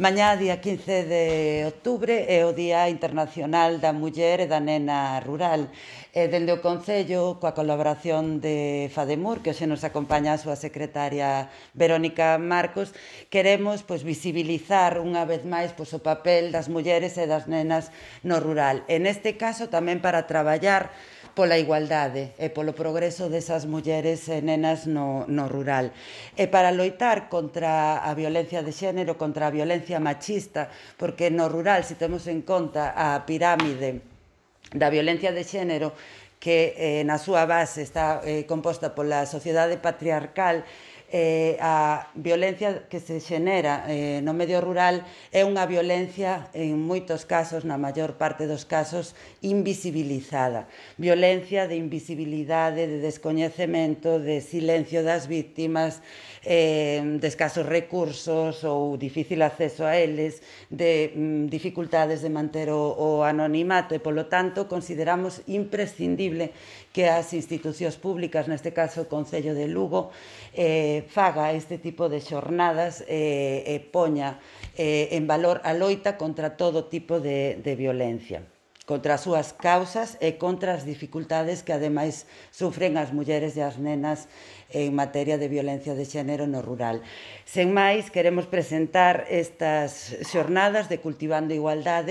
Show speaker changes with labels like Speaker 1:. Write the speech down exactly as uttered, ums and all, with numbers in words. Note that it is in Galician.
Speaker 1: Mañá, día quince de outubro, é o Día Internacional da Muller e da Nena Rural. E dende o Concello, coa colaboración de FADEMUR, que hoxe nos acompaña a súa secretaria Verónica Marcos, queremos pois, visibilizar unha vez máis pois, o papel das mulleres e das nenas no rural. E neste caso tamén para traballar pola igualdade e polo progreso desas mulleres e nenas no, no rural. E para loitar contra a violencia de xénero, contra a violencia machista, porque no rural, se temos en conta a pirámide da violencia de xénero, que eh, na súa base está eh, composta pola sociedade patriarcal, eh, a violencia que se xenera eh, no medio rural é unha violencia, en moitos casos, na maior parte dos casos, invisibilizada. Violencia de invisibilidade, de descoñecemento, de silencio das víctimas, eh, de escasos recursos ou difícil acceso a eles, de mm, dificultades de manter o, o anonimato e, polo tanto, consideramos imprescindible que as institucións públicas, neste caso o Concello de Lugo, eh, faga este tipo de xornadas e eh, eh, poña eh, en valor a loita contra todo tipo de, de violencia, contra as súas causas e contra as dificultades que ademais sufren as mulleres e as nenas en materia de violencia de xénero no rural. Sen máis, queremos presentar estas xornadas de Cultivando Igualdade